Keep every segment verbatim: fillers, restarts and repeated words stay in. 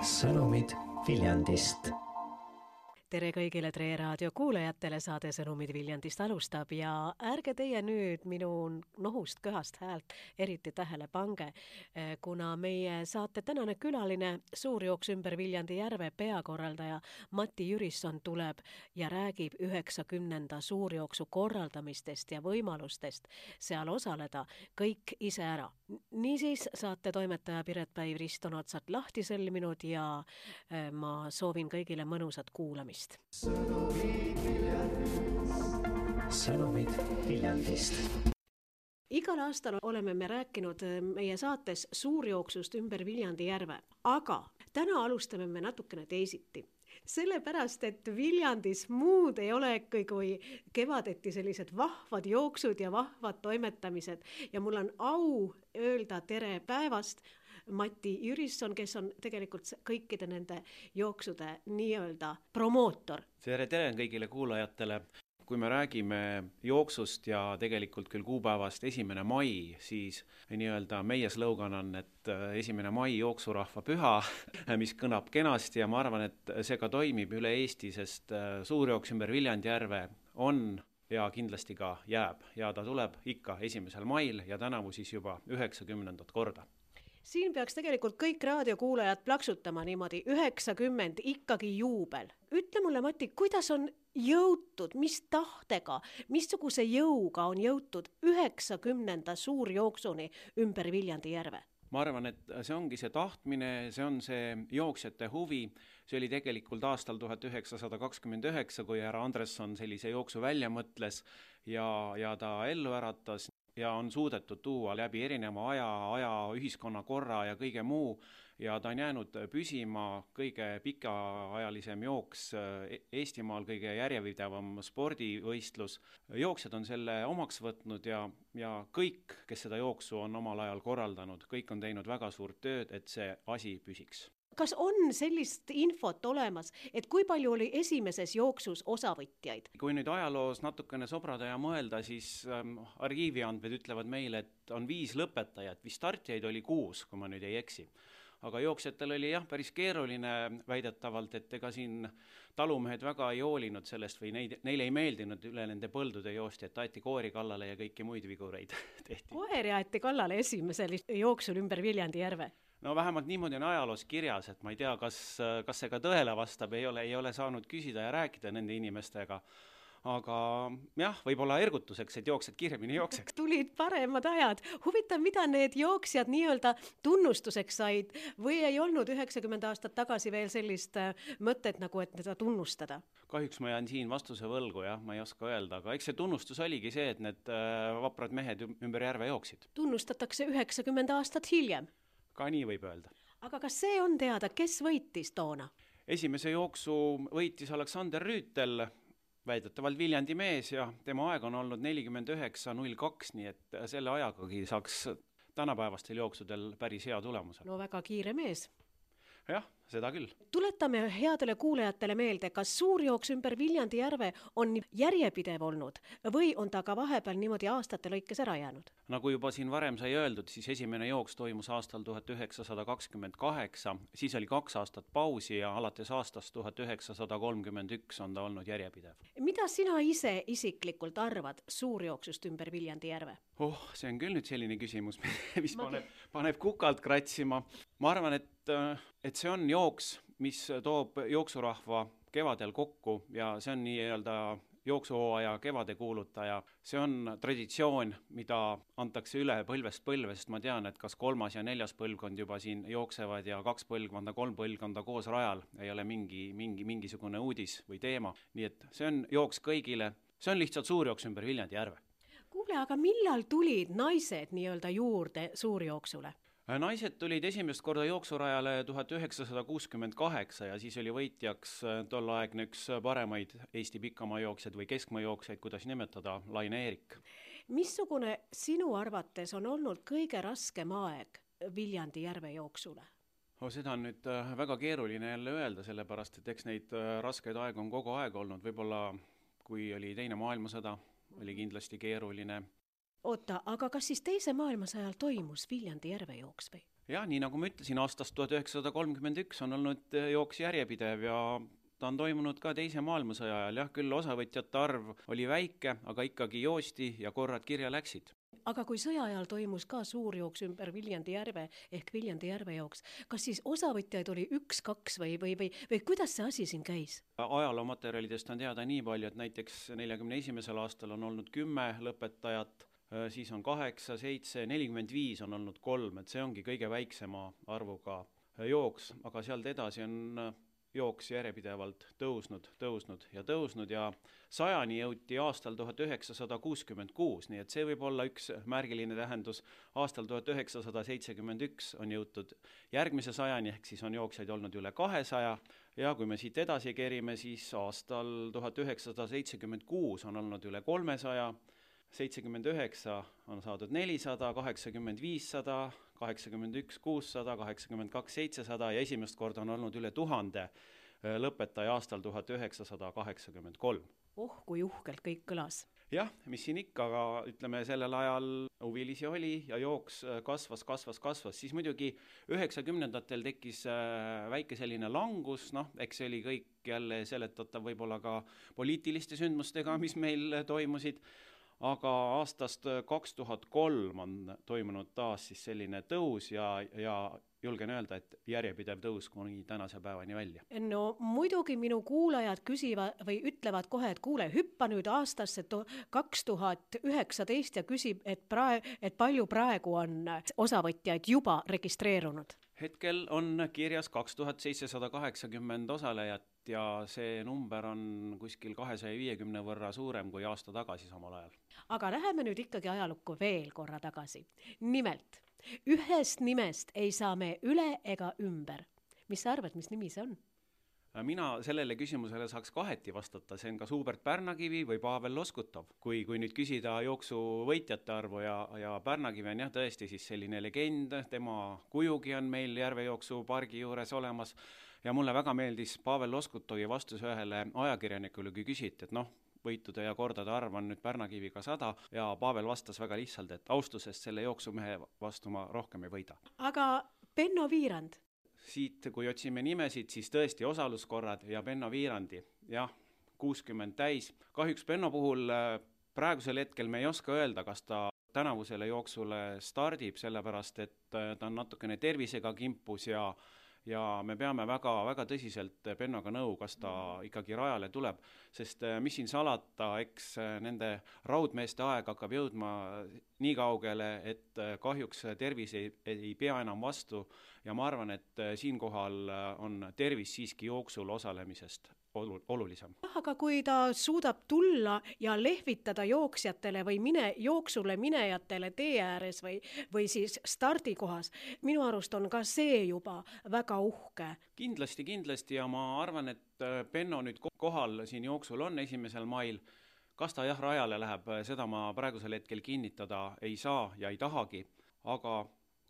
sõnumid Viljandist. Tere kõigile Tre Raadio kuulajatele, saade Sõnumid Viljandist alustab ja ärge teie nüüd minu nohust köhast häält eriti tähele pange, kuna meie saate tänane külaline, suurjooks ümber Viljandi järve peakorraldaja Mati Jürisson tuleb ja räägib üheksakümnenda suurjooksu korraldamistest ja võimalustest seal osaleda kõik ise ära. Niisiis saate toimetaja Piret Päiv Risto on otsad lahti sõlminud ja ma soovin kõigile mõnusat kuulamist. Sõnumid Viljandist. Sõnumid Viljandist. Igal aastal oleme me rääkinud meie saates suurjooksust ümber Viljandi järve, aga täna alustame me natukene teisiti. Sellepärast, et Viljandis muud ei ole kui kevadeti sellised vahvad jooksud ja vahvad toimetamised ja mul on au öelda tere päevast Mati Jürisson, kes on tegelikult kõikide nende jooksude nii-öelda promootor. Tere, tere kõigile kuulajatele. Kui me räägime jooksust ja tegelikult küll kuupäevast esimene mai, siis nii-öelda meie slogan on, et esimene mai jooksurahva püha, mis kõnab kenasti ja ma arvan, et see ka toimib üle Eesti, sest suurjooks ümber Viljandi järve on ja kindlasti ka jääb ja ta tuleb ikka esimesel mail ja tänavu siis juba üheksakümnendat korda. Siin peaks tegelikult kõik raadiokuulajad plaksutama niimoodi, üheksakümmend ikkagi juubel. Ütle mulle, Mati, kuidas on jõutud, mis tahtega, missuguse jõuga on jõutud üheksakümnenda suurjooksuni ümber Viljandi järve? Ma arvan, et see ongi see tahtmine, see on see jooksjate huvi. See oli tegelikult aastal tuhat üheksasada kakskümmend üheksa, kui härra Andresson sellise jooksu välja mõtles ja, ja ta ellu äratas. Ja on suudetud tuua läbi erineva aja, aja, ühiskonna korra ja kõige muu ja ta on jäänud püsima kõige pikaajalisem jooks Eestimaal, kõige järjepidevam spordivõistlus. Jooksjad on selle omaks võtnud ja, ja kõik, kes seda jooksu on omal ajal korraldanud, kõik on teinud väga suurt tööd, et see asi püsiks. Kas on sellist infot olemas, et kui palju oli esimeses jooksus osavõtjaid? Kui nüüd ajaloos natukene sobrada ja mõelda, siis ähm, arhiiviandmed ütlevad meile, et on viis lõpetajat, või startijaid oli kuus, kui ma nüüd ei eksi. Aga jooksjatel oli jah päris keeruline väidetavalt, et ega siin talumehed väga ei hoolinud sellest või neid, neile ei meeldinud üle nende põldude joosti, et aeti koori kallale ja kõiki muid vigureid tehti. Koer aeti kallale esimesel jooksul ümber Viljandi järve? No vähemalt niimoodi on ajaloos kirjas, et ma ei tea, kas, kas see ka tõele vastab, ei ole, ei ole saanud küsida ja rääkida nende inimestega. Aga jah, võib-olla ergutuseks, et jooksed kiiremini jookseks. Tulid paremad ajad. Huvitav, mida need jooksjad nii-öelda tunnustuseks said või ei olnud üheksakümmend aastat tagasi veel sellist mõtet, nagu et teda tunnustada? Kahjuks ma jään siin vastuse võlgu, jah, ma ei oska öelda, aga eks see tunnustus oligi see, et need vaprad mehed ümber järve jooksid. Tunnustatakse üheksakümmend aastat hiljem. Ka nii võib öelda. Aga kas see on teada, kes võitis toona? Esimese jooksu võitis Aleksander Rüütel, väidetavalt Viljandi mees ja tema aeg on olnud nelikümmend üheksa null kaks, nii et selle ajagagi saaks tänapäevastel jooksudel päris hea tulemusel. No väga kiire mees. Jah, seda küll. Tuletame headele kuulajatele meelde, kas suurjooks ümber Viljandi järve on järjepidev olnud või on ta ka vahepeal niimoodi aastate lõikes ära jäänud? Nagu juba siin varem sai öeldud, siis esimene jooks toimus aastal tuhat üheksasada kakskümmend kaheksa, siis oli kaks aastat pausi ja alates aastast tuhat üheksasada kolmkümmend üks on ta olnud järjepidev. Mida sina ise isiklikult arvad suurjooksust ümber Viljandi järve? Oh, see on küll nüüd selline küsimus, mis Ma... paneb, paneb kukalt kratsima. Ma arvan, et, et see on jooks, mis toob jooksurahva kevadel kokku ja see on nii-öelda jooksuhooaja kevade kuulutaja. See on traditsioon, mida antakse üle põlvest põlve, sest ma tean, et kas kolmas ja neljas põlvkond juba siin jooksevad ja kaks põlvkonda, kolm põlvkonda koos rajal ei ole mingi, mingi, mingisugune uudis või teema. Nii et see on jooks kõigile. See on lihtsalt suurjooks ümber Viljandi järve. Kuule, aga millal tulid naised nii-öelda juurde suurjooksule? Naised tulid esimest korda jooksurajale tuhat üheksasada kuuskümmend kaheksa ja siis oli võitjaks tol aegne üks paremaid Eesti pikamaa jooksjaid või keskmaa jooksjaid, kuidas nimetada, Laine Eerik. Missugune sinu arvates on olnud kõige raskem aeg Viljandi järve jooksule? Oh, seda on nüüd väga keeruline jälle öelda, sellepärast, et eks neid raskeid aeg on kogu aeg olnud. Võib-olla kui oli teine maailmasõda, oli kindlasti keeruline. oota, aga kas siis teise maailmasõja ajal toimus Viljandi järvejooks või? jah, nii nagu ma ütlesin, aastast tuhat üheksasada kolmkümmend üks on olnud jooks järjepidev ja ta on toimunud ka teise maailmasõja ajal, jah, küll osavõtjate arv oli väike, aga ikkagi joosti ja korrad kirja läksid. Aga kui sõja ajal toimus ka suurjooks ümber Viljandi järve ehk Viljandi järvejooks, kas siis osavõtjaid oli üks, kaks või, või, või, või kuidas see asi siin käis? Ajaloomaterjalidest on teada nii palju, et näiteks neljakümne esimesel aastal on olnud kümme lõpetajat, siis on kaheksa, seitse, nelikümmend viis on olnud kolm, et see ongi kõige väiksema arvuga jooks, aga sealt edasi on jooks järjepidevalt tõusnud, tõusnud ja tõusnud ja sajani jõuti aastal tuhat üheksasada kuuskümmend kuus, nii et see võib olla üks märgiline tähendus. Aastal tuhat üheksasada seitsekümmend üks on jõutud järgmise sajani, ehk siis on jooksjaid olnud üle kahesaja ja kui me siit edasi kerime, siis aastal tuhat üheksasada seitsekümmend kuus on olnud üle kolmesaja, seitsekümmend üheksa on saadud nelisada, kaheksakümmend viissada, kaheksakümmend üks kuussada, kaheksakümmend kaks seitsesada ja esimest korda on olnud üle tuhande lõpetaja aastal tuhat üheksasada kaheksakümmend kolm. Oh, kui uhkelt kõik kõlas. Jah, mis siin ikka, aga ütleme sellel ajal huvilisi oli ja jooks kasvas, kasvas, kasvas, siis muidugi üheksakümnendatel tekkis väike selline langus, noh, eks see oli kõik jälle seletatav võib-olla ka poliitiliste sündmustega, mis meil toimusid, aga aastast kaks tuhat kolm on toimunud taas siis selline tõus ja, ja julgen öelda, et järjepidev tõus kuni tänase päevani välja. No muidugi minu kuulajad küsivad või ütlevad kohe, et kuule, hüppa nüüd aastasse kaks tuhat üheksateist ja küsib, et, prae, et palju praegu on osavõtjaid juba registreerunud. Hetkel on kirjas kaks tuhat seitsesada kaheksakümmend osalejat ja see number on kuskil kahesaja viiekümne võrra suurem kui aasta tagasi samal ajal. Aga läheme nüüd ikkagi ajalukku veel korra tagasi. Nimelt, ühest nimest ei saa me üle ega ümber. Mis sa arvad, mis nimi see on? Mina sellele küsimusele saaks kaheti vastata, see on kas Hubert Pärnakivi või Pavel Loskutov. Kui, kui nüüd küsida jooksu võitjate arvu ja, ja Pärnakivi on jah tõesti siis selline legend, tema kujugi on meil järvejooksu pargi juures olemas ja mulle väga meeldis Pavel Loskutovi vastus ühele ajakirjanikule, kui küsiti, et noh, võitude ja kordade arv on nüüd Pärnakiviga sada ja Pavel vastas väga lihtsalt, et austusest selle jooksumehe vastu ma rohkem ei võida. Aga Benno Viirand? Siit, kui otsime nimesid, siis tõesti osaluskorrad ja Benno Viirandi, jah, kuuskümmend täis. Kahjuks Benno puhul praegusel hetkel me ei oska öelda, kas ta tänavusele jooksule stardib, sellepärast et ta on natukene tervisega kimpus ja ja me peame väga, väga tõsiselt Bennoga nõu, kas ta ikkagi rajale tuleb, sest mis siin salata, eks nende raudmeeste aeg hakkab jõudma nii kaugele, et kahjuks tervis ei, ei pea enam vastu ja ma arvan, et siinkohal on tervis siiski jooksul osalemisest olulisem. Aga kui ta suudab tulla ja lehvitada jooksjatele või mine, jooksule minejatele tee ääres või, või siis stardikohas, minu arust on ka see juba väga uhke. Kindlasti, kindlasti ja ma arvan, et Benno nüüd kohal siin jooksul on esimesel mail. Kas ta jah rajale läheb, seda ma praegusel hetkel kinnitada ei saa ja ei tahagi, aga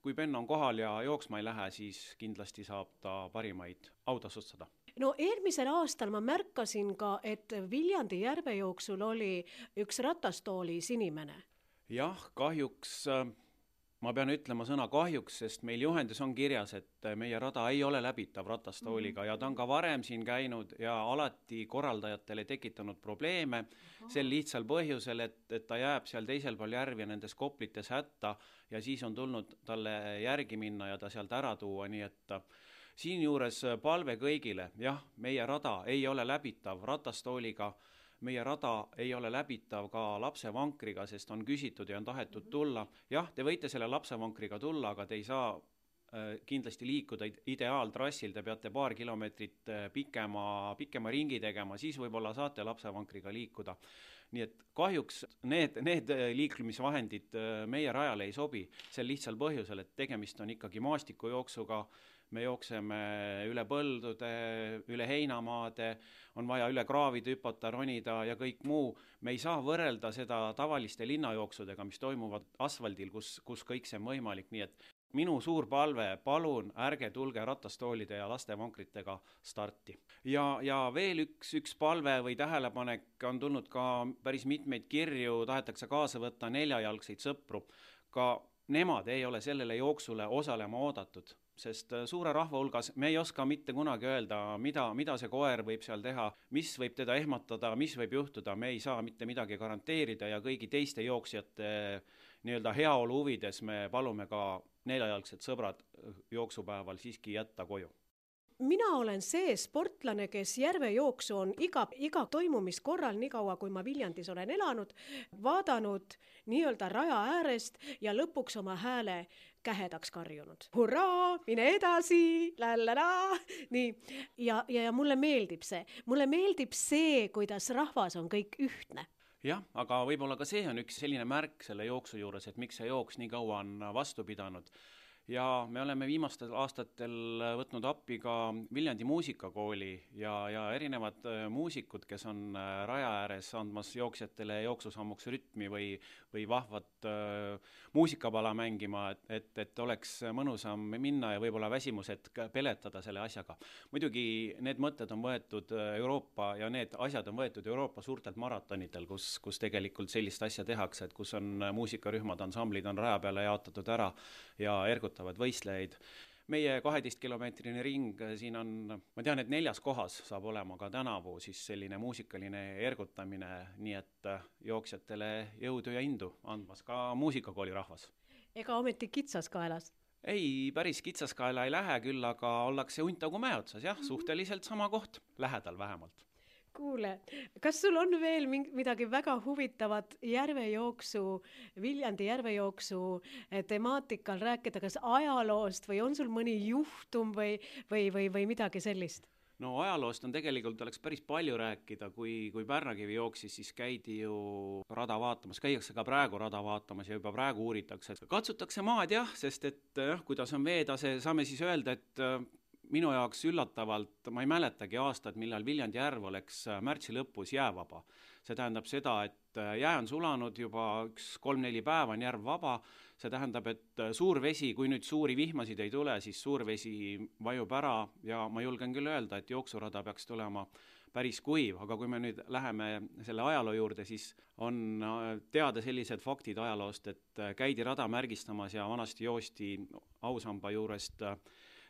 kui Benno on kohal ja jooksma ei lähe, siis kindlasti saab ta parimaid autasustada. No eelmisel aastal ma märkasin ka, et Viljandi järvejooksul oli üks ratastooliis inimene. Jah, kahjuks, ma pean ütlema sõna kahjuks, sest meil juhendis on kirjas, et meie rada ei ole läbitav ratastooliga ja ta on ka varem siin käinud ja alati korraldajatele tekitanud probleeme sel lihtsal põhjusel, et, et ta jääb seal teisel pool järvi ja nendes koplites hätta ja siis on tulnud talle järgi minna ja ta sealt ära tuua, nii et siin juures palve kõigile, jah, meie rada ei ole läbitav ratastooliga, meie rada ei ole läbitav ka lapsevankriga, sest on küsitud ja on tahetud tulla. Jah, te võite selle lapsevankriga tulla, aga te ei saa äh, kindlasti liikuda ideaaltrassil, te peate paar kilomeetrit pikema, pikema ringi tegema, siis võib-olla saate lapsevankriga liikuda. Nii et kahjuks need, need liiklemisvahendid meie rajale ei sobi, sel lihtsal põhjusel, et tegemist on ikkagi maastikujooksuga, me jookseme üle põldude, üle heinamaade, on vaja üle kraavide hüpata, ronida ja kõik muu. Me ei saa võrrelda seda tavaliste linnajooksudega, mis toimuvad asfaldil, kus, kus kõik see on võimalik, nii et minu suur palve, palun ärge tulge ratastoolide ja lastevankritega starti. Ja, ja veel üks, üks palve või tähelepanek on tulnud ka päris mitmeid kirju, tahetakse kaasa võtta neljajalgseid sõpru. Ka nemad ei ole sellele jooksule osalema oodatud, sest suure rahva hulgas me ei oska mitte kunagi öelda, mida, mida see koer võib seal teha, mis võib teda ehmatada, mis võib juhtuda, me ei saa mitte midagi garanteerida ja kõigi teiste jooksjate nii-öelda heaolu huvides me palume ka neljajalgsed sõbrad jooksupäeval siiski jätta koju. Mina olen see sportlane, kes järvejooksu on iga, iga toimumiskorral, nii kaua kui ma Viljandis olen elanud, vaadanud nii-öelda raja äärest ja lõpuks oma hääle kähedaks karjunud. Hurraa, mine edasi, lälläla, nii. Ja, ja, ja mulle meeldib see. Mulle meeldib see, kuidas rahvas on kõik ühtne. Jah, aga võib-olla ka see on üks selline märk selle jooksu juures, et miks see jooks nii kaua on vastu pidanud. Ja me oleme viimastel aastatel võtnud appi ka Viljandi muusikakooli ja, ja erinevad muusikud, kes on raja ääres andmas jooksjatele jooksusammuks rütmi või, või vahvat äh, muusikapala mängima, et, et, et oleks mõnusam minna ja võib-olla väsimused peletada selle asjaga. Muidugi need mõtted on võetud Euroopa ja need asjad on võetud Euroopa suurtelt maratonitel, kus, kus tegelikult sellist asja tehakse, et kus on muusikarühmad, ansamblid on raja peale jaotatud ära ja ergutavad võistlejaid. Meie kaheteist kilomeetrine ring siin on, ma tean, et neljas kohas saab olema ka tänavu siis selline muusikaline ergutamine, nii et jooksjatele jõudu ja indu andmas ka muusikakooli rahvas. Ega ometi kitsaskaelas? Ei, päris kitsaskaela ei lähe küll, aga ollakse Untagu mäe otsas, jah, suhteliselt sama koht, lähedal vähemalt. Kuule, kas sul on veel midagi väga huvitavat järvejooksu, Viljandi järvejooksu temaatikal rääkida, kas ajaloost või on sul mõni juhtum või, või, või, või midagi sellist? No ajaloost on tegelikult oleks päris palju rääkida, kui, kui Pärnakivi jooksis, siis käidi ju rada vaatamas, käiakse ka praegu rada vaatamas ja juba praegu uuritakse. Katsutakse maad jah, sest et jah, kuidas on veetase, saame siis öelda, et minu jaoks üllatavalt, ma ei mäletagi aastat, millal Viljandi järv oleks märtsi lõpus jäävaba. See tähendab seda, et jää on sulanud juba üks kolm-neli päeva on järv vaba. See tähendab, et suur vesi, kui nüüd suuri vihmasid ei tule, siis suur vesi vajub ära ja ma julgen küll öelda, et jooksurada peaks tulema päris kuiv, aga kui me nüüd läheme selle ajaloo juurde, siis on teada sellised faktid ajaloost, et käidi rada märgistamas ja vanasti joosti ausamba juurest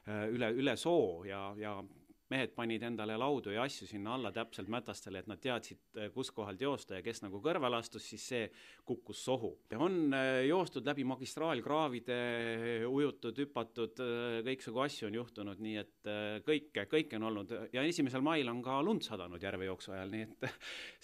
üle, üle soo ja, ja mehed panid endale laudu ja asju sinna alla täpselt mätastele, et nad teadsid, kus kohalt joosta ja kes nagu kõrval astus, siis see kukkus sohu. Ja on joostud läbi magistraalkraavide, ujutud, hüpatud, kõiksugu asju on juhtunud, nii et kõike, kõike on olnud. Ja esimesel mail on ka lund sadanud järvejooksu ajal, nii et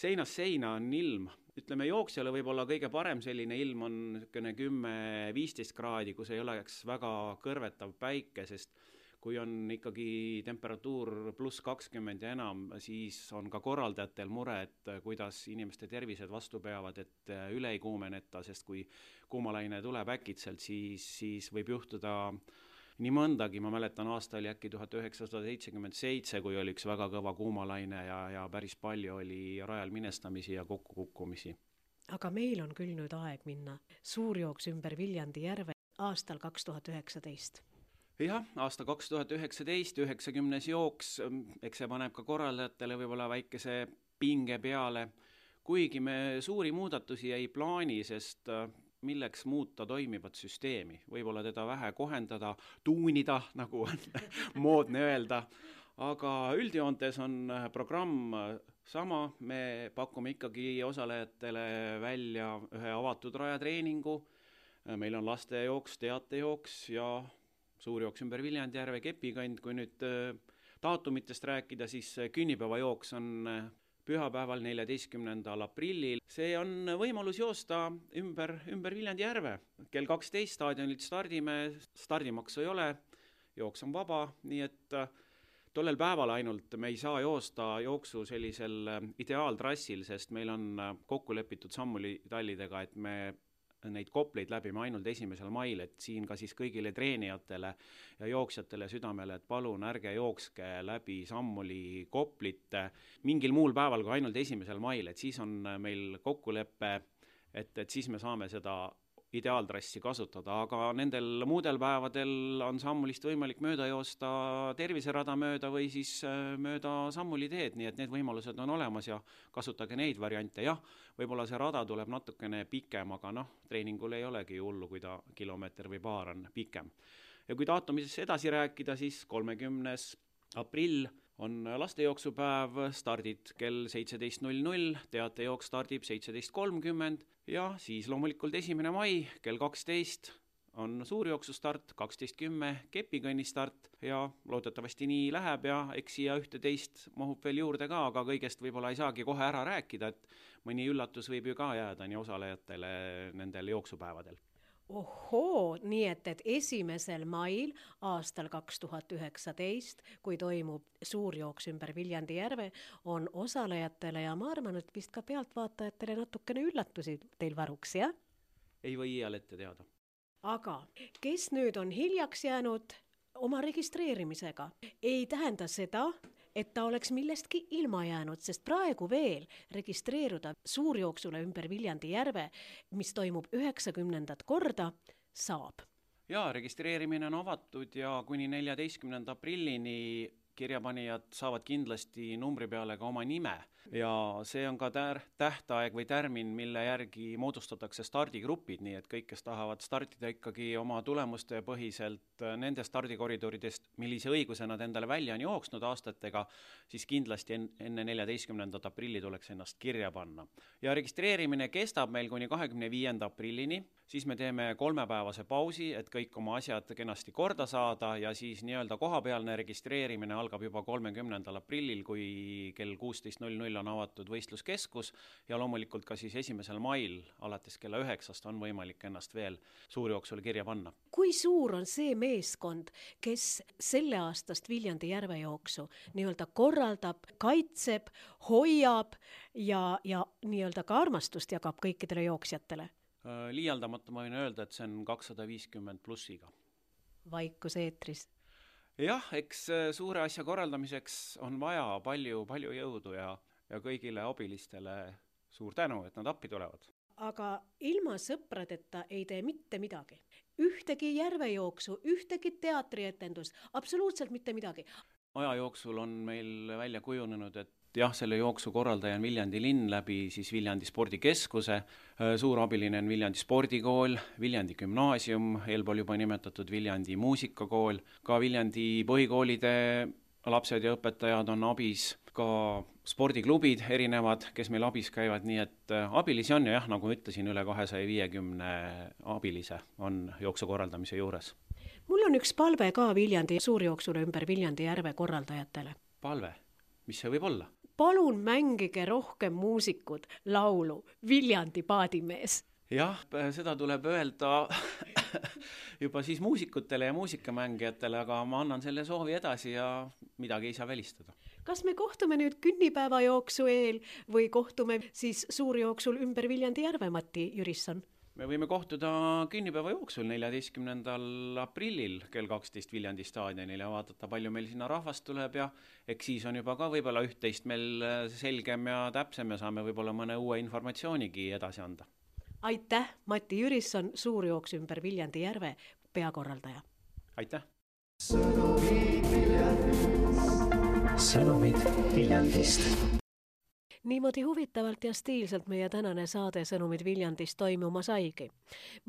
seinas seina on ilm. Ütleme, jooksjale võib olla kõige parem selline ilm on kümme viisteist kraadi, kus ei oleks väga kõrvetav päike, sest kui on ikkagi temperatuur pluss kakskümmend ja enam, siis on ka korraldajatel mure, et kuidas inimeste tervised vastu peavad, et üle ei kuumeneta, sest kui kuumalaine tuleb äkitselt, siis, siis võib juhtuda nii mõndagi. Ma mäletan, aasta oli äkki tuhat üheksasada seitsekümmend seitse, kui oli üks väga kõva kuumalaine ja, ja päris palju oli rajal minestamisi ja kokkukukkumisi. Aga meil on küll nüüd aeg minna suurjooks ümber Viljandi järve aastal kaks tuhat üheksateist. Jah, aasta kaks tuhat üheksateist, üheksakümnes jooks, eks see paneb ka korraldajatele võib-olla väikese pinge peale, kuigi me suuri muudatusi ei plaani, sest milleks muuta toimivat süsteemi, võib-olla teda vähe kohendada, tuunida, nagu on moodne öelda, aga üldjoontes on programm sama, me pakume ikkagi osalejatele välja ühe avatud rajatreeningu, meil on lastejooks, teatejooks ja suurjooks ümber Viljandi järve Kepikand. Kui nüüd daatumitest rääkida, siis künnipäevajooks on pühapäeval neljateistkümnendal aprillil. See on võimalus joosta ümber, ümber Viljandi järve. Kell kaksteist staadionilt stardime, stardimaksu ei ole, jooks on vaba, nii et tollel päeval ainult me ei saa joosta jooksu sellisel ideaaltrassil, sest meil on kokku lepitud sammulitallidega, et me neid kopleid läbime ainult esimesel mail, et siin ka siis kõigile treenijatele ja jooksjatele südamele, et palun ärge jookske läbi sammuli koplite mingil muul päeval kui ainult esimesel mail, et siis on meil kokkulepe, et, et siis me saame seda ideaaltrassi kasutada, aga nendel muudel päevadel on sammulist võimalik mööda joosta terviserada mööda või siis mööda sammuliteed, nii et need võimalused on olemas ja kasutage neid variante. Jah, võib-olla see rada tuleb natukene pikem, aga noh, treeningul ei olegi hullu, kui ta kilomeeter või paar on pikem. Ja kui daatumisest edasi rääkida, siis kolmekümnes aprill on lastejooksupäev, stardid kell seitseteist null null, teatejooks stardib seitseteist kolmkümmend ja siis loomulikult esimene mai kell kaksteist on suurjooksustart, kaksteist kümme kepikõnni start ja loodetavasti nii läheb ja eks siia ühte-teist mahub veel juurde ka, aga kõigest võib-olla ei saagi kohe ära rääkida, et mõni üllatus võib ju ka jääda nii osalejatele nendel jooksupäevadel. Ohoo, nii et, et esimesel mail aastal kaks tuhat üheksateist, kui toimub suurjooks ümber Viljandi järve, on osalejatele ja ma arvan, et vist ka pealtvaatajatele natukene üllatusi teil varuks, jah? Ei või iial ette teada. Aga kes nüüd on hiljaks jäänud oma registreerimisega, ei tähenda seda, et ta oleks millestki ilma jäänud, sest praegu veel registreeruda suurjooksule ümber Viljandi järve, mis toimub üheksakümnendat korda, saab. Jaa, registreerimine on avatud ja kuni neljateistkümnenda aprillini kirjapanijad saavad kindlasti numbri peale ka oma nime ja see on ka tär- tähtaeg või tärmin, mille järgi moodustatakse stardigrupid, nii et kõik, kes tahavad startida ikkagi oma tulemuste põhiselt nende stardikoridoridest, millise õiguse nad endale välja on jooksnud aastatega, siis kindlasti enne neljateistkümnendat aprilli tuleks ennast kirja panna. Ja registreerimine kestab meil kuni kahekümne viienda aprillini, siis me teeme kolmepäevase pausi, et kõik oma asjad kenasti korda saada ja siis nii-öelda kohapealne registreerimine algab juba kolmekümnendal aprillil, kui kell kuusteist null null on avatud võistluskeskus ja loomulikult ka siis esimesel mail alates kella üheksast on võimalik ennast veel suurjooksule kirja panna. Kui suur on see meeskond, kes selle aastast Viljandi järvejooksu nii-öelda korraldab, kaitseb, hoiab ja, ja nii-öelda ka armastust jagab kõikidele jooksjatele? Liialdamata ma võin öelda, et see on kakssada viiskümmend plussiga. Vaikus eetris. Jah, eks suure asja korraldamiseks on vaja palju, palju jõudu ja, ja kõigile abilistele suur tänu, et nad appi tulevad. Aga ilma sõpradeta ei tee mitte midagi. Ühtegi järvejooksu, ühtegi teatrietendus, absoluutselt mitte midagi. Aja jooksul on meil välja kujunenud, et jah, selle jooksu korraldaja on Viljandi linn läbi siis Viljandi spordikeskuse, suur abiline on Viljandi spordikool, Viljandi gümnaasium, eelpool juba nimetatud Viljandi muusikakool, ka Viljandi põhikoolide lapsed ja õpetajad on abis, ka spordiklubid erinevad, kes meil abis käivad, nii et abilisi on ja jah, nagu ütlesin, üle kahesaja viiekümne abilise on jooksu korraldamise juures. Mul on üks palve ka Viljandi suurjooksule ümber Viljandi järve korraldajatele. Palve? Mis see võib olla? Palun mängige rohkem muusikud laulu Viljandi paadimees. Jah, seda tuleb öelda juba siis muusikutele ja muusikamängijatele, aga ma annan selle soovi edasi ja midagi ei saa välistada. Kas me kohtume nüüd künnipäeva jooksu eel või kohtume siis suurjooksul ümber Viljandi järve, Mati Jürisson? Me võime kohtuda künnipäeva jooksul neljateistkümnendal aprillil kell kaksteist Viljandi staadionil ja vaadata, palju meil sinna rahvast tuleb ja eks siis on juba ka võib-olla üht-teist meil selgem ja täpsem ja saame võib-olla mõne uue informatsioonigi edasi anda. Aitäh, Mati Jürisson, suurjooks ümber Viljandi järve peakorraldaja. Aitäh! Sõnumid Viljandist. Sõnumid Viljandist. Niimoodi huvitavalt ja stiilselt meie tänane saade Sõnumid Viljandist toimuma saigi.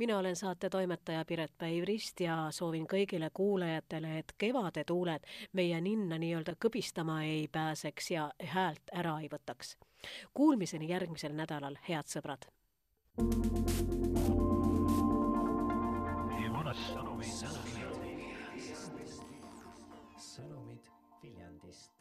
Mina olen saate toimetaja Piret Päivrist ja soovin kõigile kuulajatele, et kevade tuuled meie ninna nii-öelda kõbistama ei pääseks ja häält ära ei võtaks. Kuulmiseni järgmisel nädalal, head sõbrad! Sõnumid Viljandist.